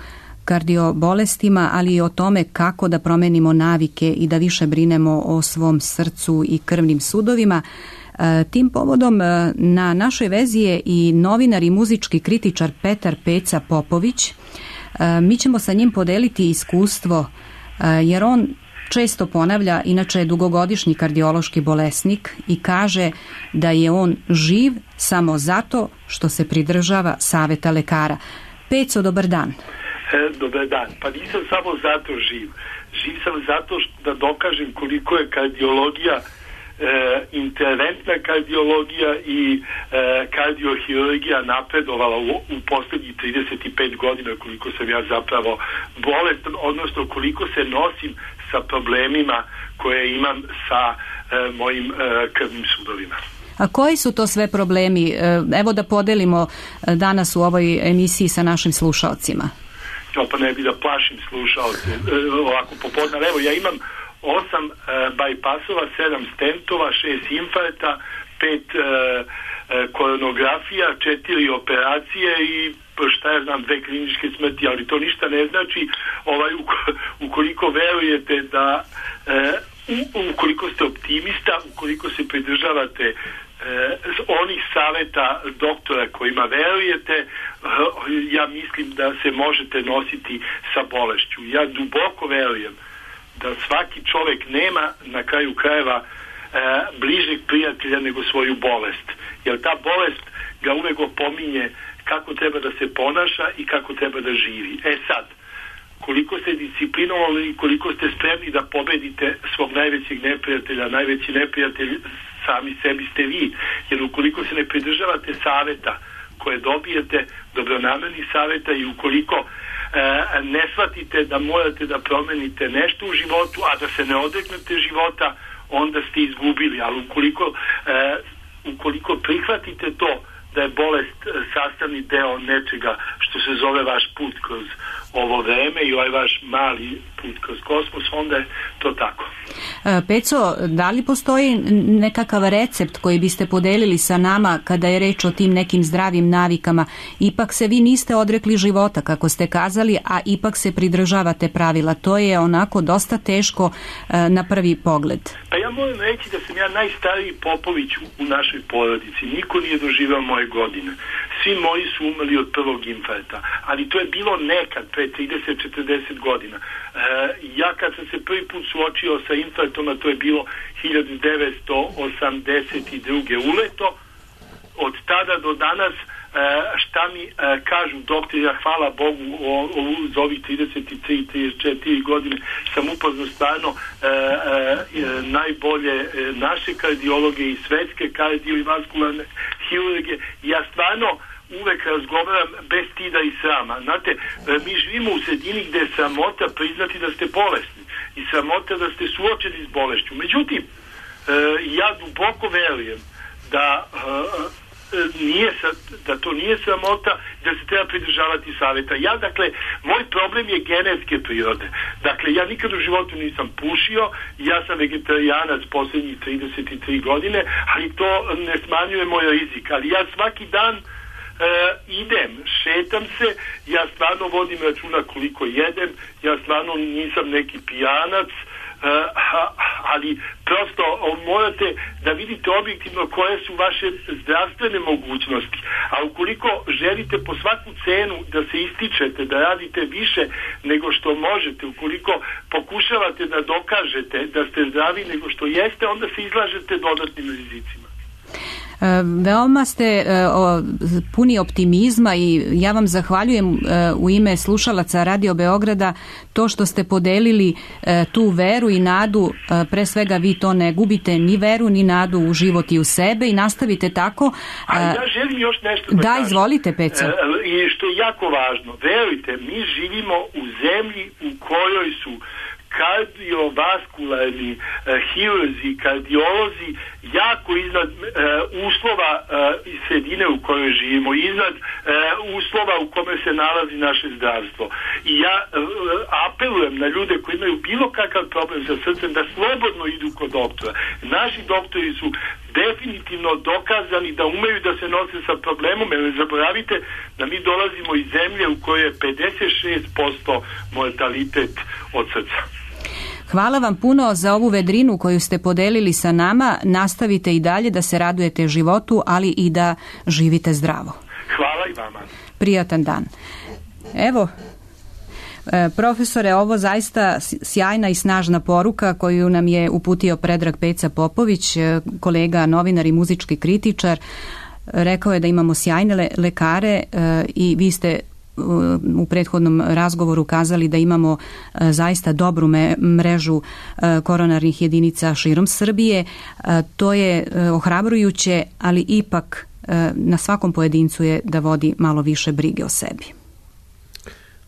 kardiobolestima, ali i o tome kako da promenimo navike i da više brinemo o svom srcu i krvnim sudovima. Tim povodom na našoj vezi je i novinar i muzički kritičar Petar Peca Popović. Mi ćemo sa njim podeliti iskustvo, jer on često ponavlja, inače je dugogodišnji kardiološki bolesnik i kaže da je on živ samo zato što se pridržava saveta lekara. Peco, dobar dan. E, dobar dan. Pa nisam samo zato živ. Živ sam zato što da dokažem koliko je kardiologija E, interventna kardiologija i e, kardiohirurgija napredovala u, u posljednjih trideset pet godina, koliko sam ja zapravo bolestan, odnosno koliko se nosim sa problemima koje imam sa e, mojim e, krvnim sudovima. A koji su to sve problemi? Evo da podelimo danas u ovoj emisiji sa našim slušalcima. Jo, pa ne bi da plašim slušalce e, ovako popodne. Evo, ja imam osam e, bajpasova, sedam stentova, šest infarkta, pet e, e, koronografija, četiri operacije i šta ja znam, dve kliničke smrti, ali to ništa ne znači ovaj, ukoliko verujete da e, ukoliko ste optimista, ukoliko se pridržavate e, onih saveta doktora kojima verujete, e, ja mislim da se možete nositi sa bolešću. Ja duboko verujem da svaki čovjek nema na kraju krajeva e, bližeg prijatelja nego svoju bolest. Jer ta bolest ga uvek opominje kako treba da se ponaša i kako treba da živi. E sad, koliko ste disciplinovani i koliko ste spremni da pobedite svog najvećeg neprijatelja. Najveći neprijatelj sami sebi ste vi, jer ukoliko se ne pridržavate saveta koje dobijete, dobronamernih saveta, i ukoliko e, ne shvatite da morate da promenite nešto u životu, a da se ne odreknete života, onda ste izgubili. Ali ukoliko, e, ukoliko prihvatite to da je bolest sastavni deo nečega što se zove vaš put kroz ovo vreme i ovaj vaš mali put kroz kosmos, onda je to tako. Peco, da li postoji nekakav recept koji biste podelili sa nama kada je reč o tim nekim zdravim navikama? Ipak se vi niste odrekli života, kako ste kazali, a ipak se pridržavate pravila. To je onako dosta teško na prvi pogled. Pa ja moram reći da sam ja najstariji Popović u našoj porodici. Niko nije doživao moje godine. Svi moji su umrli od prvog infarkta, ali to je bilo nekad, pre trideset do četrdeset godina. E, ja kad sam se prvi put suočio sa infarktom, a to je bilo hiljadu devetsto osamdeset druge uleto, od tada do danas e, šta mi e, kažu doktori, ja hvala Bogu o, o, za ovih trideset tri do trideset četiri godine sam upoznao stvarno e, e, najbolje e, naše kardiologe i svetske kardio i vaskularne hirurge. Ja stvarno uvek razgovaram bez stida i srama. Znate, mi živimo u sredini gde je sramota priznati da ste bolesni i sramota da ste suočeni s bolešću. Međutim, ja duboko verujem da nije, da to nije sramota, da se treba pridržavati saveta. Ja, dakle, moj problem je genetske prirode. Dakle, ja nikad u životu nisam pušio, ja sam vegetarijanac poslednjih trideset tri godine, ali to ne smanjuje moj rizik. Ali ja svaki dan Uh, idem, šetam se, ja stvarno vodim računa koliko jedem, ja stvarno nisam neki pijanac, uh, ali prosto morate da vidite objektivno koje su vaše zdravstvene mogućnosti, a ukoliko želite po svaku cenu da se ističete, da radite više nego što možete, ukoliko pokušavate da dokažete da ste zdravi nego što jeste, onda se izlažete dodatnim rizicima. Veoma ste puni optimizma i ja vam zahvaljujem u ime slušalaca Radio Beograda to što ste podelili tu veru i nadu. Pre svega vi to ne gubite ni veru ni nadu u život i u sebe i nastavite tako. A ja želim još nešto da, da izvolite, Peco. I što je jako važno, verujte, mi živimo u zemlji u kojoj su kardiovaskularni uh, hirurzi, kardiolozi jako iznad uh, uslova uh, iz sredine u kojoj živimo, iznad uh, uslova u kome se nalazi naše zdravstvo. I ja uh, apelujem na ljude koji imaju bilo kakav problem sa srcem da slobodno idu kod doktora. Naši doktori su definitivno dokazani da umeju da se nose sa problemom, jer ne zaboravite da mi dolazimo iz zemlje u kojoj je pedeset šest posto mortalitet od srca. Hvala vam puno za ovu vedrinu koju ste podelili sa nama. Nastavite i dalje da se radujete životu, ali i da živite zdravo. Hvala i vama. Prijatan dan. Evo, profesore, ovo zaista sjajna i snažna poruka koju nam je uputio Predrag Peca Popović, kolega, novinar i muzički kritičar. Rekao je da imamo sjajne lekare i vi ste u prethodnom razgovoru kazali da imamo zaista dobru mrežu koronarnih jedinica širom Srbije. To je ohrabrujuće, ali ipak na svakom pojedincu je da vodi malo više brige o sebi.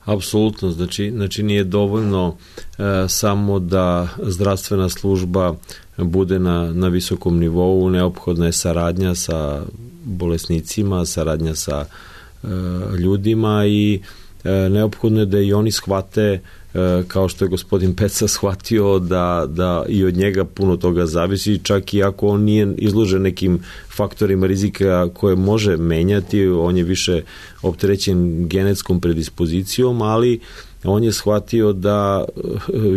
Apsolutno, znači, znači nije dovoljno e, samo da zdravstvena služba bude na, na visokom nivou, neophodna je saradnja sa bolesnicima, saradnja sa e, ljudima i e, neophodno je da i oni shvate, e, kao što je gospodin Peca shvatio, da, da i od njega puno toga zavisi, čak i ako on nije izložen nekim faktorima rizika koje može menjati, on je više opterećen genetskom predispozicijom, ali on je shvatio da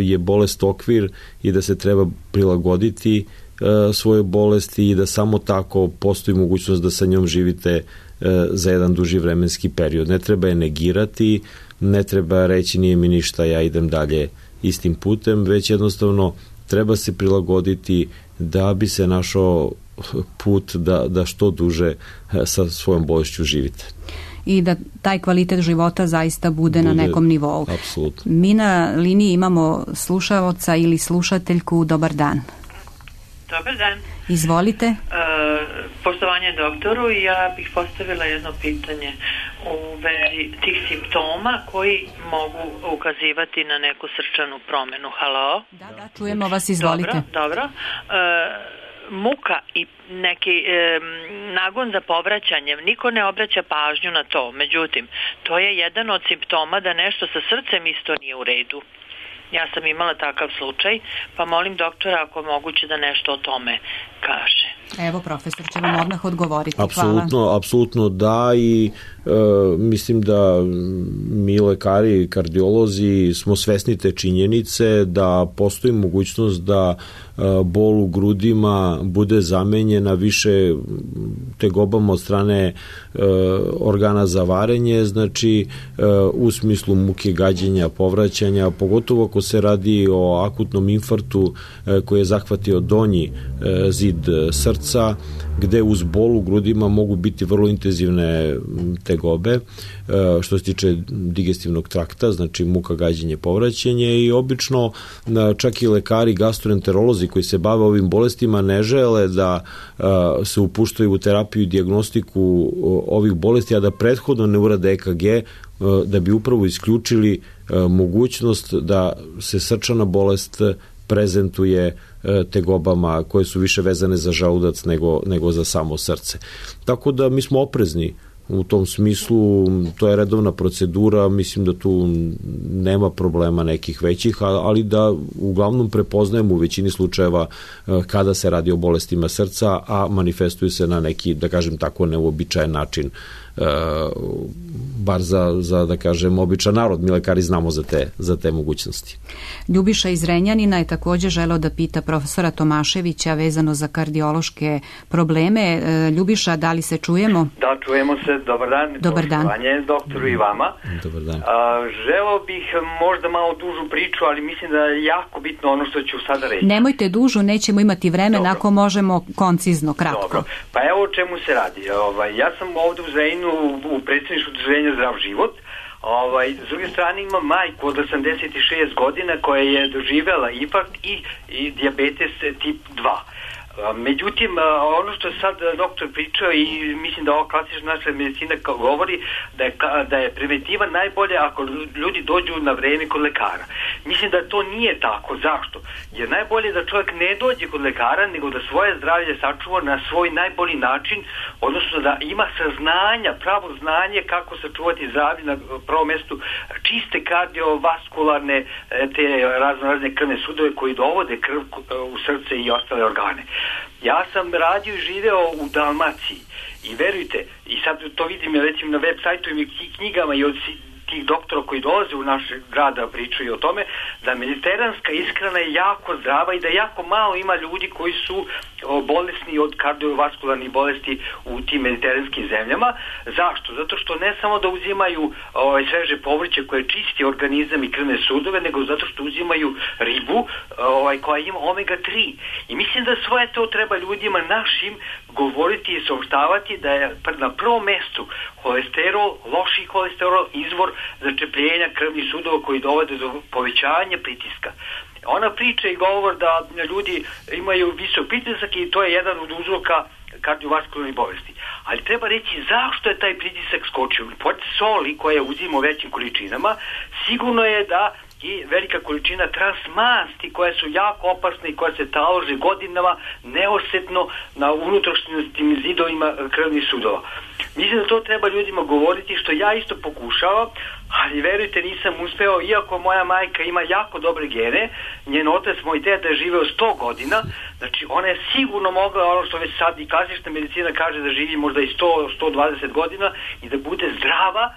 je bolest okvir i da se treba prilagoditi svoje bolesti i da samo tako postoji mogućnost da sa njom živite za jedan duži vremenski period. Ne treba je negirati, ne treba reći nije mi ništa, ja idem dalje istim putem, već jednostavno treba se prilagoditi da bi se našao put da, da što duže sa svojom bolešću živite. i da taj kvalitet života zaista bude, bude na nekom nivou. Apsolutno. Mi na liniji imamo slušaoca ili slušateljku. Dobar dan. Dobar dan. Izvolite. E, poštovanje doktoru, ja bih postavila jedno pitanje u vezi tih simptoma koji mogu ukazivati na neku srčanu promenu. Halo? Da, da, čujemo vas, izvolite. Dobro, dobro. E, muka i neki e, nagon za povraćanjem, niko ne obraća pažnju na to. Međutim, to je jedan od simptoma da nešto sa srcem isto nije u redu. Ja sam imala takav slučaj, pa molim doktora ako moguće da nešto o tome kaže. Evo, profesor će vam odmah odgovoriti. Apsolutno, Hvala. apsolutno da i e, mislim da mi lekari i kardiolozi smo svesni te činjenice da postoji mogućnost da e, bol u grudima bude zamenjena više tegobama od strane e, organa za varenje, znači e, u smislu muke, gađenja, povraćanja, pogotovo ako se radi o akutnom infarktu e, koji je zahvatio donji e, zid srca, gde uz bol u grudima mogu biti vrlo intenzivne tegobe što se tiče digestivnog trakta, znači muka, gađenje, povraćanje i obično čak i lekari, gastroenterolozi koji se bave ovim bolestima ne žele da se upuštaju u terapiju i dijagnostiku ovih bolesti, a da prethodno ne urade E K G da bi upravo isključili mogućnost da se srčana bolest prezentuje tegobama koje su više vezane za želudac nego, nego za samo srce. Tako da mi smo oprezni u tom smislu, to je redovna procedura, mislim da tu nema problema nekih većih, ali da uglavnom prepoznajemo u većini slučajeva kada se radi o bolestima srca, a manifestuju se na neki, da kažem tako, neuobičajen način, bar za, za da kažem, običan narod. Mi lekari znamo za te, za te mogućnosti. Ljubiša iz Renjanina je također želeo da pita profesora Tomaševića vezano za kardiološke probleme. Ljubiša, da li se čujemo? Da, čujemo se. Dobar dan. Dobar dan. Poštovanje doktoru i vama. Dobar dan. A, želeo bih možda malo dužu priču, ali mislim da je jako bitno ono što ću sada reći. Nemojte dužu, nećemo imati vremena. Dobro. Ako možemo koncizno, kratko. Dobro. Pa evo o čemu se radi. Ovaj, ja sam ovde u Zrenjaninu u predsjedništvu udruženja Zdrav život. Ovaj, s druge strane ima majku od osamdeset šest godina koja je doživela infarkt i, i dijabetes tip dva. Međutim, ono što je sad doktor pričao i mislim da ova klasična naša medicina govori da je, da je preventiva najbolje ako ljudi dođu na vreme kod lekara. Mislim da to nije tako. Zašto? Jer najbolje da čovjek ne dođe kod lekara, nego da svoje zdravlje sačuva na svoj najbolji način, odnosno da ima saznanja, pravo znanje kako sačuvati zdravlje na prvom mjestu, čiste kardiovaskularne te razno razne krvne sudove koji dovode krv u srce i ostale organe. Ja sam radio i živeo u Dalmaciji i verujte, i sad to vidim recimo na web sajtu i knjigama i od tih doktora koji dolaze u naš grad da pričaju o tome, da mediteranska ishrana je jako zdrava i da jako malo ima ljudi koji su bolesni od kardiovaskularnih bolesti u tim mediteranskim zemljama. Zašto? Zato što ne samo da uzimaju ovaj, sveže povrće koje čisti organizam i krvne sudove, nego zato što uzimaju ribu ovaj, koja ima omega tri. I mislim da svoje to treba ljudima našim govoriti i saopštavati da je na prvom mestu holesterol, loši holesterol, izvor začepljenja krvnih sudova koji dovode do povećanja pritiska. Ona priča i govor da ljudi imaju visok pritisak i to je jedan od uzroka kardiovaskularnih bolesti. Ali treba reći zašto je taj pritisak skočio. Pored soli koje uzimamo u većim količinama, sigurno je da i velika količina transmasti koje su jako opasne i koje se talože godinama neosjetno na unutrašnjim zidovima krvnih sudova. Mislim da to treba ljudima govoriti, što ja isto pokušavam, ali verujte nisam uspeo, iako moja majka ima jako dobre gene, njen otac, moj deda je živeo sto godina, znači ona je sigurno mogla, ono što već sad i klasična medicina kaže, da živi možda i sto do sto dvadeset godina i da bude zdrava,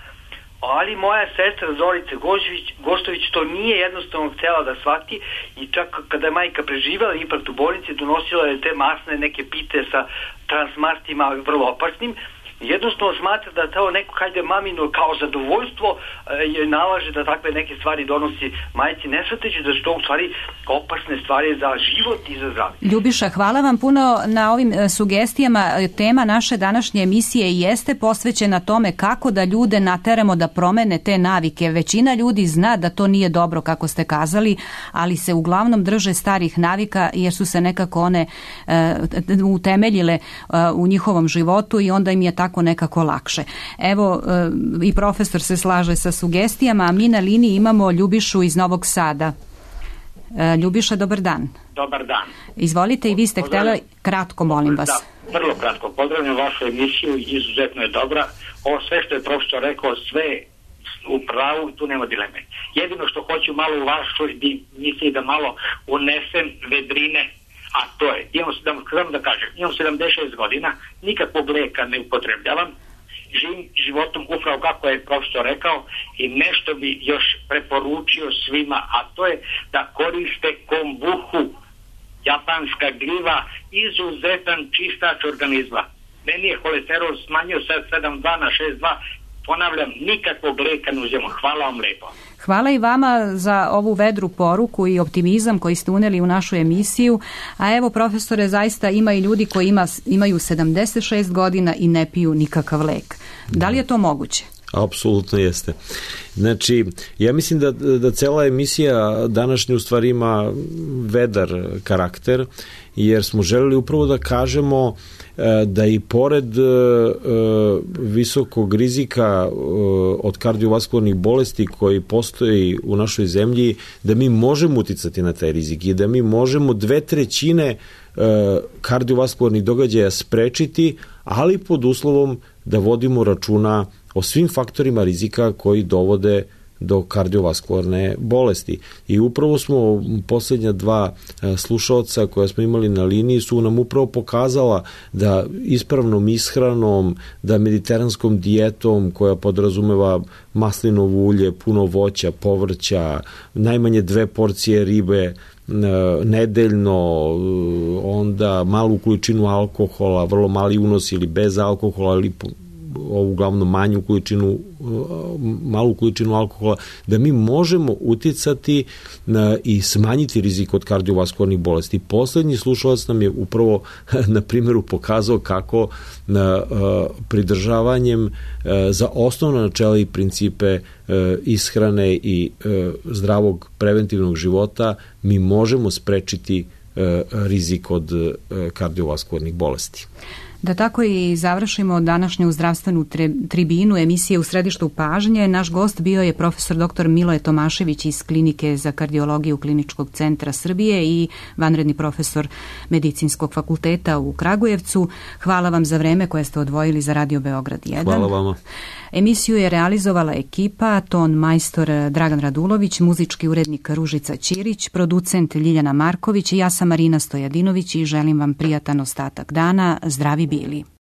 ali moja sestra Zorica Goštović, Goštović to nije jednostavno htjela da shvati i čak kada je majka preživjela infarkt u bolnici, donosila je te masne neke pite sa transmastima vrlo opasnim. jednostavno smatra da to neko hajde mamino kao zadovoljstvo je nalaže da takve neke stvari donosi majci, ne shvatajući da su to u stvari opasne stvari za život i za zdravlje. Ljubiša, hvala vam puno na ovim sugestijama. Tema naše današnje emisije jeste posvećena tome kako da ljude nateramo da promene te navike. Većina ljudi zna da to nije dobro, kako ste kazali, ali se uglavnom drže starih navika jer su se nekako one uh, utemeljile uh, u njihovom životu i onda im je tako nekako lakše. Evo, uh, i profesor se slaže sa sugestijama, a mi na liniji imamo Ljubišu iz Novog Sada. Uh, Ljubiša, dobar dan. Dobar dan. Izvolite, i vi ste htjeli kratko, molim vas. Da, vrlo kratko. Pozdravljam vašu emisiju, izuzetno je dobra. Ovo sve što je profesor rekao, sve u pravu, tu nema dileme. Jedino što hoću malo u vašoj emisiji da malo unesem vedrine, a to je, imam, da, da kažem, imam sedamdeset šest godina, nikakvog leka ne upotrebljavam, živim životom upravo kako je profesor rekao i nešto bi još preporučio svima, a to je da koriste kombuhu, japanska gljiva, izuzetan čistač organizma. Meni je holesterol smanjio sa sedam dva na šest dva, ponavljam, nikakvog leka ne uzimam. Hvala vam lepo. Hvala i vama za ovu vedru poruku i optimizam koji ste uneli u našu emisiju. A evo, profesore, zaista ima i ljudi koji ima, imaju sedamdeset šest godina i ne piju nikakav lek. Da li je to moguće? Apsolutno jeste. Znači, ja mislim da, da cela emisija današnja u stvari ima vedar karakter, jer smo želeli upravo da kažemo da i pored visokog rizika od kardiovaskularnih bolesti koji postoji u našoj zemlji, da mi možemo uticati na taj rizik i da mi možemo dve trećine kardiovaskularnih događaja sprečiti, ali pod uslovom da vodimo računa o svim faktorima rizika koji dovode do kardiovaskularne bolesti. I upravo smo posljednja dva slušaoca koja smo imali na liniji su nam upravo pokazala da ispravnom ishranom, da mediteranskom dijetom koja podrazumeva maslinovo ulje, puno voća, povrća, najmanje dve porcije ribe nedeljno, onda malu količinu alkohola, vrlo mali unos ili bez alkohola, ili uglavnom manju količinu, malu količinu alkohola, da mi možemo uticati na, i smanjiti rizik od kardiovaskularnih bolesti. Poslednji slušalac nam je upravo na primjeru pokazao kako na, pridržavanjem za osnovna načela i principe ishrane i zdravog preventivnog života mi možemo sprečiti rizik od kardiovaskularnih bolesti. Da tako i završimo današnju zdravstvenu tribinu emisije U središtu pažnje. Naš gost bio je profesor doktor Miloje Tomašević iz Klinike za kardiologiju Kliničkog centra Srbije i vanredni profesor Medicinskog fakulteta u Kragujevcu. Hvala vam za vreme koje ste odvojili za Radio Beograd jedan. Hvala vama. Emisiju je realizovala ekipa, ton majstor Dragan Radulović, muzički urednik Ružica Ćirić, producent Ljiljana Marković i ja sam Marina Stojadinović i želim vam prijatan ostatak dana. Zdravi bili.